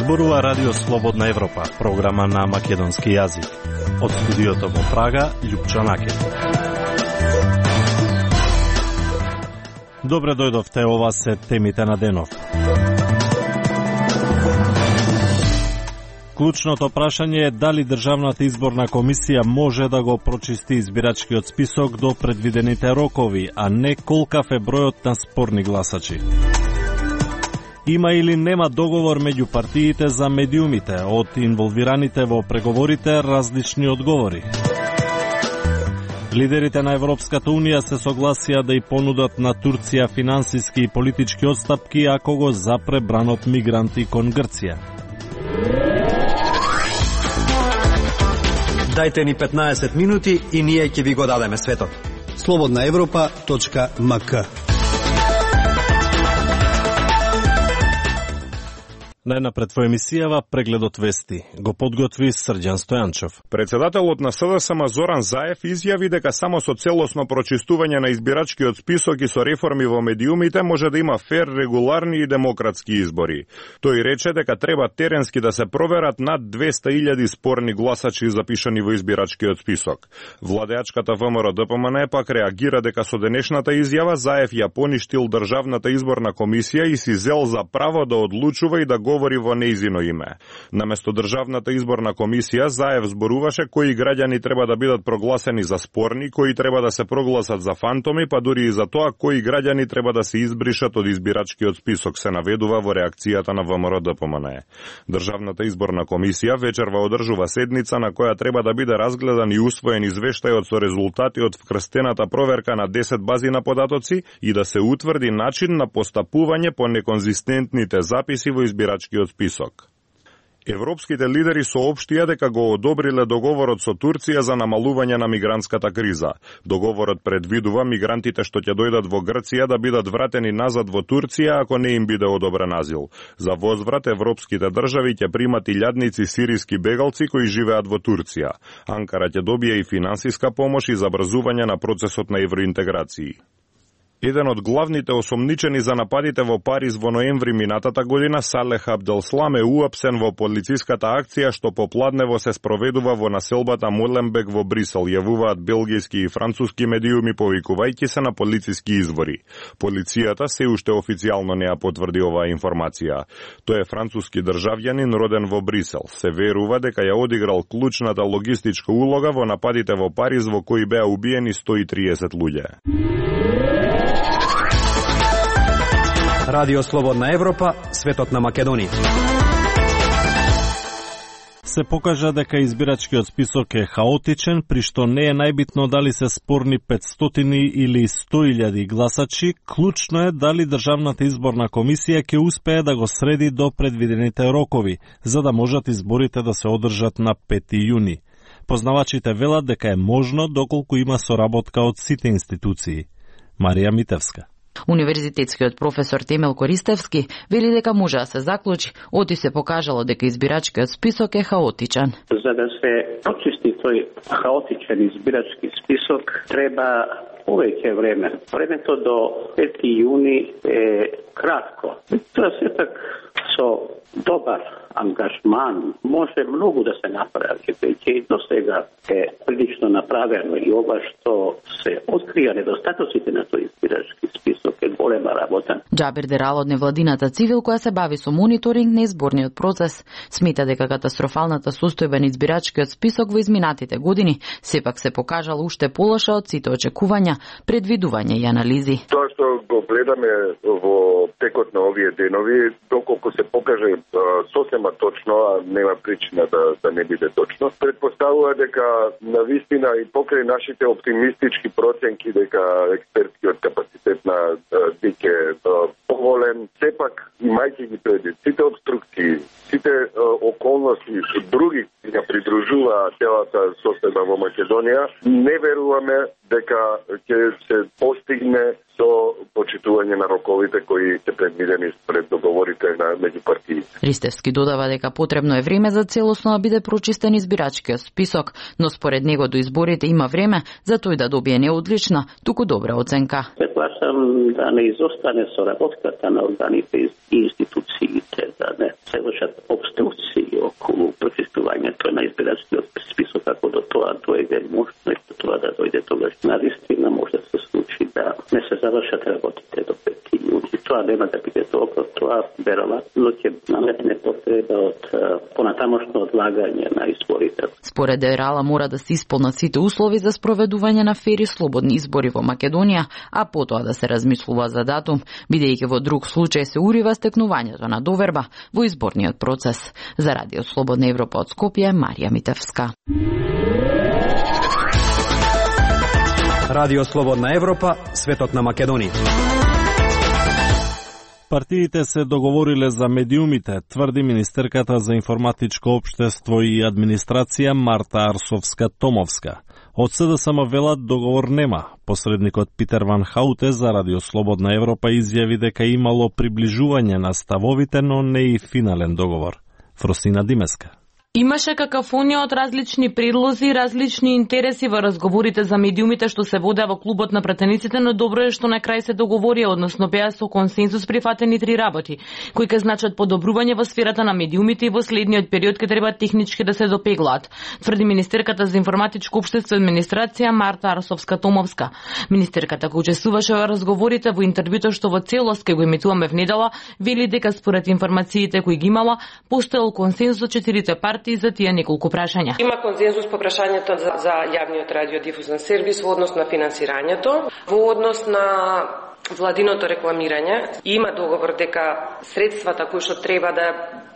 Зборува Радио Слободна Европа, програма на македонски јазик. Од студиото во Прага, Љупчо Накет. Добре дојдовте, ова се темите на денов. Клучното прашање е дали Државната изборна комисија може да го прочисти избирачкиот список до предвидените рокови, а не колкав е бројот на спорни гласачи. Има или нема договор меѓу партиите за медиумите, од инволвираните во преговорите различни одговори. Лидерите на Европската Унија се согласија да и понудат на Турција финансиски и политички отстапки ако го запре бранот мигранти кон Грција. Дајте ни 15 минути и ние ќе ви го дадеме светот. slobodnaevropa.mk. Најнапред во емисијава прегледот вести го подготви Срđan Стојанчов. Председателот на СДСМ Зоран Заев изјави дека само со целосно прочистување на избирачкиот список и со реформи во медиумите може да има фер, регуларни и демократски избори. Тој рече дека треба теренски да се проверат над 200.000 спорни гласачи запишани во избирачкиот список. Владеачката ВМРО ДПМН пак реагира дека со денешната изјава Заев ја поништил Државната изборна комисија и си зел за право да одлучува и да говори во нејзино име. Наместо Државната изборна комисија, Заев зборуваше кои граѓани треба да бидат прогласени за спорни, кои треба да се прогласат за фантоми, па дури и за тоа кои граѓани треба да се избришат од избирачкиот список, се наведува во реакцијата на ВМРО ДПМН. Државната изборна комисија вечерва одржува седница на која треба да биде разгледан и усвоен извештајот со резултати од вкрстената проверка на 10 бази на податоци и да се утврди начин на постапување по неконзистентните записи во избирачкиот список. Европските лидери соопштија дека го одобриле договорот со Турција за намалување на мигрантската криза. Договорот предвидува мигрантите што ќе дојдат во Грција да бидат вратени назад во Турција ако не им биде одобрен азил. За возврат европските држави ќе примат илјадници сириски бегалци кои живеат во Турција. Анкара ќе добие и финансиска помош и забрзување на процесот на евроинтеграција. Еден од главните осомничени за нападите во Париз во ноември минатата година, Салех Абделслам, е уапсен во полициската акција што попладнево се спроведува во населбата Моленбек во Брисел, јавуваат белгијски и француски медиуми повикувајќи се на полициски извори. Полицијата се уште официјално не ја потврди оваа информација. Тој е француски државјанин роден во Брисел. Се верува дека ја одиграл клучната логистичка улога во нападите во Париз во кои беа убиени 130 луѓе. Радио Слободна Европа, светот на Македонија. Се покажа дека избирачкиот список е хаотичен, при што не е најбитно дали се спорни 500 или 100.000 гласачи, клучно е дали Државната изборна комисија ќе успее да го среди до предвидените рокови, за да можат изборите да се одржат на 5 јуни. Познавачите велат дека е можно доколку има соработка од сите институции. Марија Митевска. Универзитетскиот професор Темел Користевски вели дека може да се заклучи, оти се покажало дека избирачкиот список е хаотичен. За да се очисти тој хаотичен избирачки список треба повеќе време. Времето до 5 јуни е кратко. Тоа сепак со добар ангажман може многу да се направи, веќе до сега е прилично направено и ова што се открија недостатоците на тој избирачки список е голема работа. Џабир Дерал од невладината Цивил, која се бави со мониторинг на изборниот процес, смета дека катастрофалната состојба на избирачкиот список во изминатите години сепак се покажала уште полоша од сите очекувања, предвидувања и анализи. Тоа што го гледаме во текот на овие денови, доколку се покаже сосема точно, а нема причина да не биде точно, предпоставува дека навистина и покрај нашите оптимистички проценки дека експертскиот капацитет на ДИК е поголем, сепак имајќи ги предвид сите обструкции, сите околности други ја придружува целата состојба во Македонија, не веруваме дека ќе се постигне до почитување на роковите кои се предвидени според договорите на меѓу партиите. Ристевски додава дека потребно е време за целосно да биде прочистен избирачкиот список, но според него до изборите има време за тој да добие не одлична, туку добра оценка. Предполагам да не изостане соработката на органите и институциите, да не се вршат обструкции околу прочистувањето на избирачкиот список, ако до тоа дојде, може тоа да дојде тогаш навистина, може да се случи да не се завршат работите до 5 јуни. Тоа нема да биде добро, тоа веројатно ќе наметне потреба од понатамошно одлагање на изборите. Според Дерала мора да се исполнат сите услови за спроведување на фери слободни избори во Македонија, а потоа да се размислува за датум, бидејќи во друг случај се урива стекнувањето на доверба во изборниот процес. За Радио Слободна Европа од Скопје, Марија Митевска. Радио Слободна Европа, светот на Македонија. Партиите се договориле за медиумите, тврди министерката за информатичко општество и администрација Марта Арсовска-Томовска. Од СДСМ велат договор нема. Посредникот Питер Ван Хауте за Радио Слободна Европа изјави дека имало приближување на ставовите, но не и финален договор. Фросина Димеска. Имаше какафонија од различни предлози и различни интереси во разговорите за медиумите што се водеа во клубот на пратениците, но добро е што на крај се договорија, односно беа со консензус прифатени 3 работи, кои ќе значат подобрување во сферата на медиумите и во следниот период ќе треба технички да се допеглаат, тврди министерката за информатичко општество и администрација Марта Арсовска-Томовска. Министерката која учествуваше во разговорите во интервјуто што во целост ќе го емитуваме внедела, вели дека според информациите кои ги имала, постоел консензус од 4 партии за тие неколку прашања. Има консензус по прашањето за јавниот радиодифузен сервис во однос на финансирањето, во однос на владиното рекламирање. Има договор дека средствата кои што треба да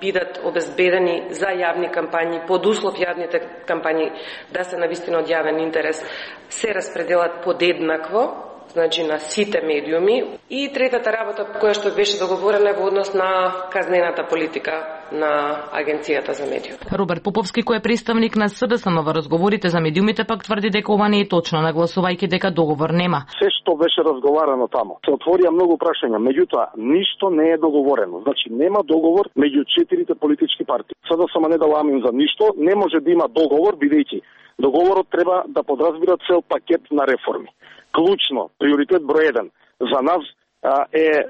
бидат обезбедени за јавни кампањи, под услов јавните кампањи да се навистина од јавен интерес, се распределат подеднакво, значи на сите медиуми. И третата работа која што беше договорена во однос на казнената политика на Агенцијата за медиуми. Роберт Поповски, кој е представник на СДСМ во разговорите за медиумите, пак тврди дека ова не е точно, нагласувајќи дека договор нема. Се што беше разговарано таму, се отворија многу прашања, меѓутоа ништо не е договорено. Значи нема договор меѓу 4 политички партии. СДСМ не дала амин за ништо, не може да има договор бидејќи договорот треба да подразбира цел пакет на реформи. Клучно, приоритет број 1 за нас е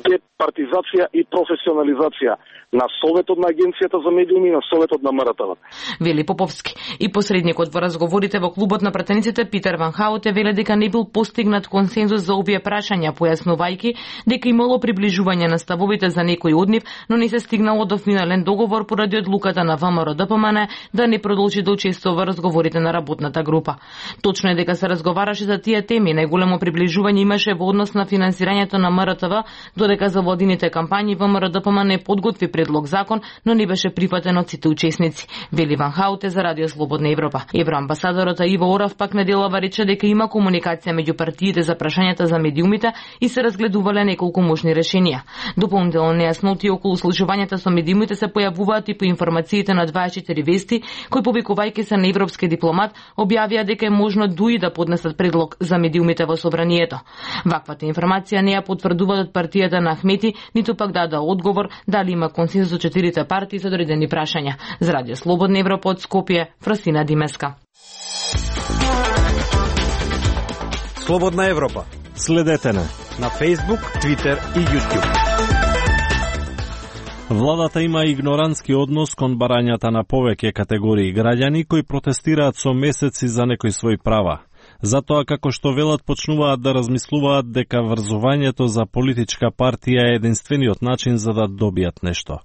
департизација и професионализација на Советот на Агенцијата за медиуми и на Советот на МРТВ. Вели Поповски. И посредникот во разговорите во клубот на пратениците Питер Ван Хауте веле дека не бил постигнат консензус за овие прашања, појаснувајќи дека имало приближување на ставовите за некои од нив, но не се стигнало до финален договор поради одлуката на ВМРО-ДПМН да не продолжи да учествува во разговорите на работната група. Точно е дека се разговараше за тие теми, најголемо приближување имаше во однос на финансирањето на МРТВ, додека за владините кампањи ВМРО-ДПМН подготви предлог закон, но не беше прифатен од сите учесници. Вели Ван Хауте за Радио Слободна Европа. Евроамбасадорот Иво Орав пак неделава рече дека има комуникација меѓу партиите за прашањата за медиумите и се разгледувале неколку можни решенија. Дополнително нејасноти околу случувањата со медиумите се појавуваат и по информациите на 24 вести, кои повикувајќи се на европски дипломат, објавија дека е можно дуи да поднесат предлог за медиумите во собранието. Ваквата информација не ја потврдуваат од партијата на Ахмети, ниту пак даде одговор дали има консензус со 4 партии за одредени прашања. За Радио Слободна Европа од Скопје, Фросина Димеска. Слободна Европа. Следете на Facebook, Twitter и YouTube. Владата има игнорантски однос кон барањата на повеќе категории граѓани кои протестираат со месеци за некои своји права. Затоа, како што велат, почнуваат да размислуваат дека врзувањето за политичка партија е единствениот начин за да добијат нешто.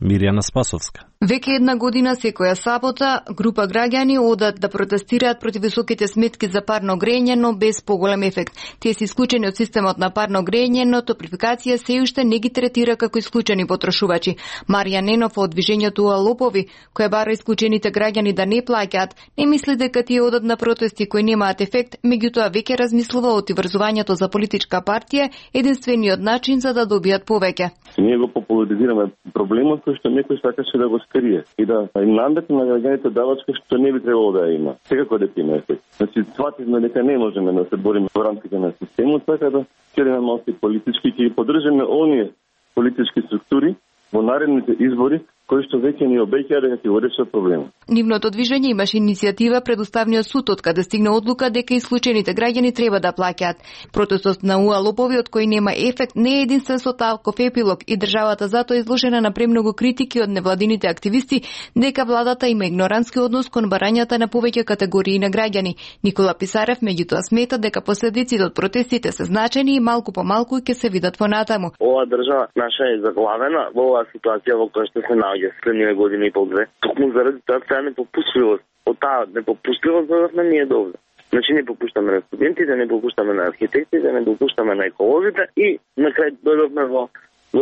Мирјана Спасовска. Веќе една година секоја сабота група граѓани одат да протестираат против високите сметки за парно грење, но без поголем ефект. Тие се исклучени од системот на парно грење, но топлификација се уште не ги третира како исклучени потрошувачи. Марија Ненов од движењето Лопови, која бара исклучените граѓани да не плаќаат, не мисли дека тие одат на протести кои немаат ефект, меѓутоа веќе размислува од врзувањето за политичка партија единствениот начин за да добијат повеќе. Ние го популаризираме проблемот кој што некој сакаше да го скрие и да им наметне на граѓаните давачка што не би требало да ја има. Секако дека има ефект. Значи, свативме дека не можеме да се бориме во рамките на системот, така да ќе имаме политички, ќе поддржиме оние политички структури во наредните избори кои што веќе ни обеќаа дека ќе го решат проблемот. Нивното движење имаше иницијатива пред Уставниот суд, од каде стигна одлука дека исклучените граѓани треба да плаќаат. Протестот на УА Лопови, од кој нема ефект, не е единствен со таков епилог и државата затоа е изложена на премногу критики од невладините активисти дека владата има игнорантски однос кон барањата на повеќе категории на граѓани. Никола Писарев меѓутоа смета дека последиците од протестите се значени и малку по малку ќе се видат понатаму. Ова држава наша е заглавена во оваа ситуација во која што се наоѓа следниве година и пол-две. Токму заради таа непопустливост. Од таа непопустливост додавме ние до овде. Значи не попуштаме на студентите, не попуштаме на архитектите, не попуштаме на еколозите и на крај дојдовме во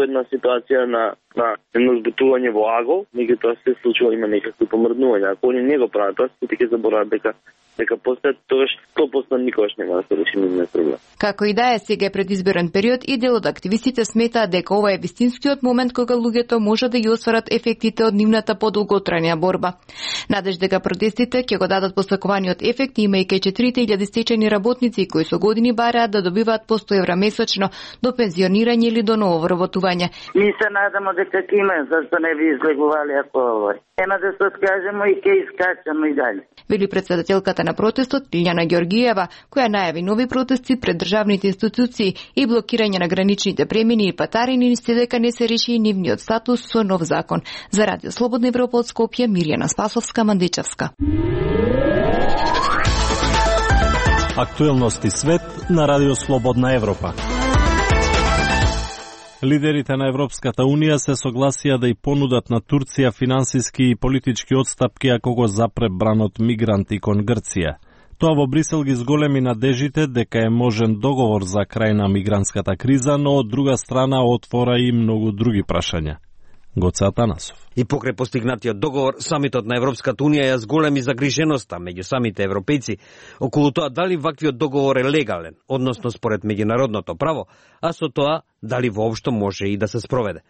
една ситуација на едно збутување во агол, меѓутоа се случува има некакви помрднувања. Ако они не го прават тоа, сите ќе заборават дека постојат, тогаш 100% никогаш нема да се реши нивниот проблем. Како и да е, сега е предизборен период и дел од активистите сметаат дека ова е вистинскиот момент кога луѓето може да ги остварат ефектите од нивната подолготрајна борба. Надеж дека протестите ќе го дадат посакуваниот ефект, имајќи 4000 стечени работници кои со години бараат да добиваат по 100 евра месечно до пензионирање или до ново вработување. Ми се надамо дека ќе има, зашто не би излегували ако овој. Ема да се откажемо и ќе искачаме и дали. Вели председателката на протестот Лиљана Ѓоргиева, која најави нови протести пред државните институции и блокирање на граничните премини и патарини, се дека не се реши и нивниот статус со нов закон. За Радио Слободна Европа од Скопје, Мирјана Спасовска, Мандичевска. Актуелности свет на Радио Слободна Европа. Лидерите на Европската Унија се согласија да и понудат на Турција финансиски и политички отстапки ако го запре бранот мигранти кон Грција. Тоа во Брисел ги зголеми надежите дека е можен договор за крај на мигрантската криза, но од друга страна отвора и многу други прашања. Гоце Атанасов. И покрај постигнатиот договор, самитот на Европската Унија ја зголеми загриженоста меѓу самите европејци околу тоа дали ваквиот договор е легален, односно според меѓународното право, а со тоа дали воопшто може и да се спроведе.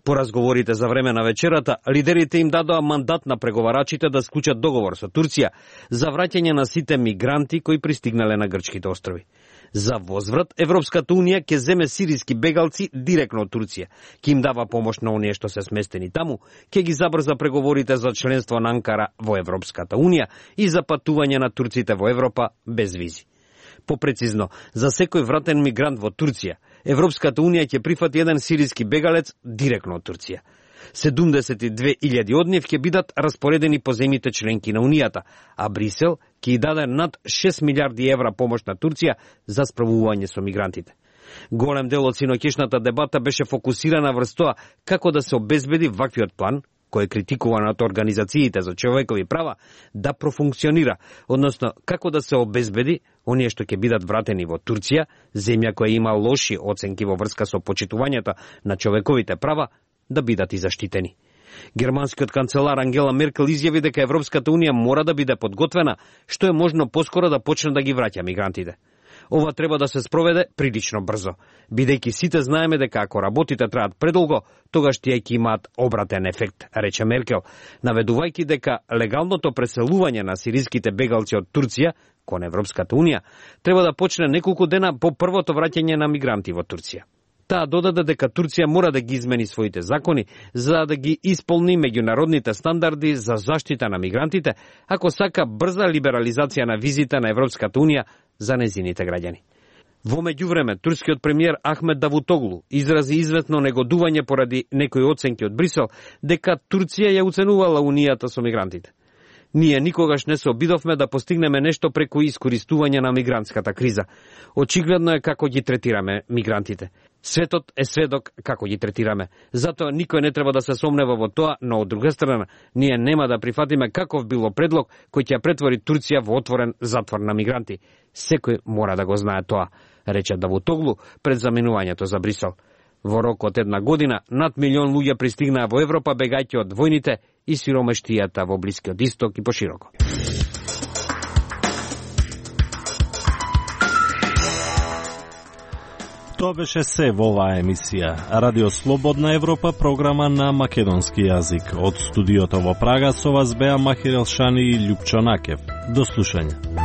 По разговорите за време на вечерата, лидерите им дадоа мандат на преговарачите да склучат договор со Турција за враќање на сите мигранти кои пристигнале на грчките острови. За возврат, Европската Унија ќе земе сириски бегалци директно од Турција, ќе им дава помош на оние што се сместени таму, ќе ги забрза преговорите за членство на Анкара во Европската Унија и за патување на турците во Европа без визи. Попрецизно, за секој вратен мигрант во Турција, Европската Унија ќе прифати еден сириски бегалец директно од Турција. 72.000 од нив ќе бидат распоредени по земјите членки на Унијата, а Брисел ќе даде над 6 милиарди евра помош на Турција за справување со мигрантите. Голем дел од синоќешната дебата беше фокусирана врз тоа како да се обезбеди ваквиот план, кој е критикуван од организациите за човекови права, да профункционира, односно како да се обезбеди оние што ќе бидат вратени во Турција, земја која има лоши оценки во врска со почитувањето на човековите права, да бидат и заштитени. Германскиот канцелар Ангела Меркел изјави дека Европската Унија мора да биде подготвена, што е можно поскоро да почне да ги враќа мигрантите. Ова треба да се спроведе прилично брзо, бидејќи сите знаеме дека ако работите траат предолго, тогаш тие ќе имаат обратен ефект, рече Меркел, наведувајќи дека легалното преселување на сириските бегалци од Турција кон Европската Унија треба да почне неколку дена по првото враќање на мигранти во Турција. Таа додаде дека Турција мора да ги измени своите закони за да ги исполни меѓународните стандарди за заштита на мигрантите, ако сака брза либерализација на визите на Европската Унија за незините граѓани. Во меѓувреме, турскиот премиер Ахмед Давутоглу изрази известно негодување поради некои оценки од Брисел дека Турција ја уценувала Унијата со мигрантите. Ние никогаш не се обидовме да постигнеме нешто преку искористување на мигрантската криза. Очигледно е како ги третираме мигрантите. Светот е сведок како ги третираме. Затоа никој не треба да се сомнева во тоа, но од друга страна, ние нема да прифатиме каков било предлог кој ќе претвори Турција во отворен затвор на мигранти. Секој мора да го знае тоа, рече Давутоглу пред заминувањето за Брисел. Во рок од една година, над 1 милион луѓе пристигнаа во Европа бегајќи од војните и сиромештијата во Блискиот Исток и пошироко. Тоа беше се во оваа емисија. Радио Слободна Европа, програма на македонски јазик. Од студиото во Прага со вас беа Махир Елшани и Љупчо Накев. До слушање.